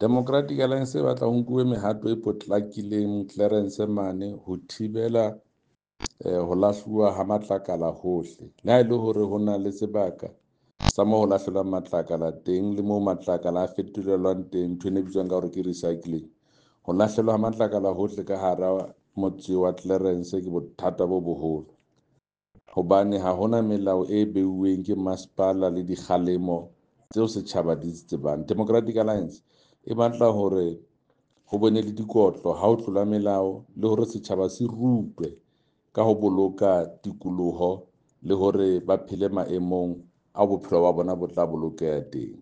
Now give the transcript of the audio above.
Democratic Alliance e batla ho nkuwe mehato e potlakileng Clarens mane ho thibela ho lahluwa ha matlakala hohle. Le ha e le hore ho na le sebaka sa mo ho lahlelwang matlakala teng le moo matlakala a fetolelwang teng, ntho e bitswang ka hore ke recycling. Ho lahlelwa ha matlakala hohle ka hara motse wa Clarens ke bothata bo boholo, hobane ha hona melao e beuweng ke masepala le dikgalemo tseo setjhaba di tsebang. Democratic Alliance e batla hore ho bone le dikotlo ha o tlola melao, le hore setjhaba se rutwe ka ho boloka tikoloho le hore ba phele maemong a bophelo ba bona bo tla bolokeha teng.